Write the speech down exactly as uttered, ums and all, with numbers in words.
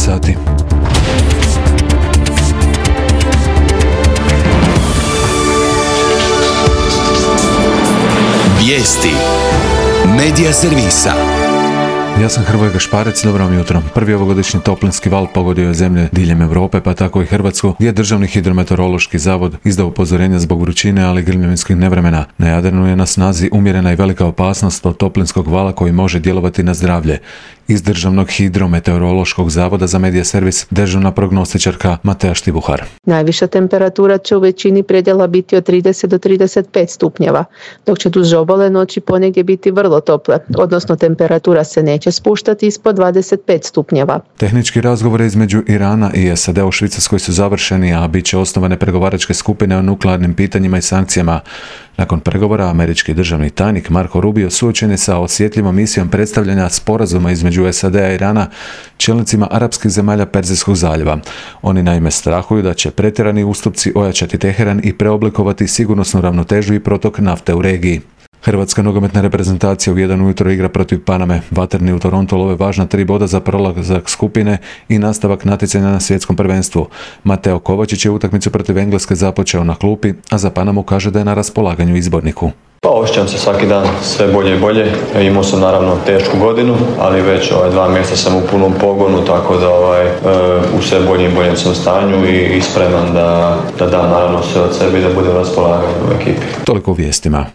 sati. Vijesti Medija servisa. Ja sam Hrvoje Gašparec, dobro vam jutro. Prvi ovogodišnji toplinski val pogodio je zemlje diljem Europe, pa tako i Hrvatsku, gdje je Državni hidrometeorološki zavod izdao upozorenja zbog vrućine, ali i grmljavinskih nevremena. Na Jadranu je na snazi umjerena i velika opasnost od toplinskog vala koji može djelovati na zdravlje. Iz Državnog hidrometeorološkog zavoda za medija servis dežurna prognostičarka Matea Štibuhar. Najviša temperatura će u većini predjela biti od trideset do trideset pet stupnjeva, dok će duž obale noći ponegdje biti vrlo tople, odnosno temperatura se neće spuštati ispod dvadeset pet stupnjeva. Tehnički razgovori između Irana i S A D u Švicarskoj su završeni, a bit će osnovane pregovaračke skupine o nuklearnim pitanjima i sankcijama. Nakon pregovora, američki državni tajnik Marco Rubio suočen je sa osjetljivom misijom predstavljanja sporazuma između S A D-a i Irana čelnicima arapskih zemalja Perzijskog zaljeva. Oni naime strahuju da će pretjerani ustupci ojačati Teheran i preoblikovati sigurnosnu ravnotežu i protok nafte u regiji. Hrvatska nogometna reprezentacija u jedan ujutro igra protiv Paname. Vatreni u Torontu love važna tri boda za prolazak skupine i nastavak natjecanja na svjetskom prvenstvu. Mateo Kovačić je utakmicu protiv Engleske započeo na klupi, a za Panamu kaže da je na raspolaganju izborniku. Pa osjećam se svaki dan sve bolje i bolje. Imao sam naravno tešku godinu, ali već ovaj, dva mjeseca sam u punom pogonu, tako da ovaj, u sve boljem i boljem sam stanju i, i spreman da, da dam naravno sve od sebe i da budem raspolagan u ekipi. Toliko u vijestima.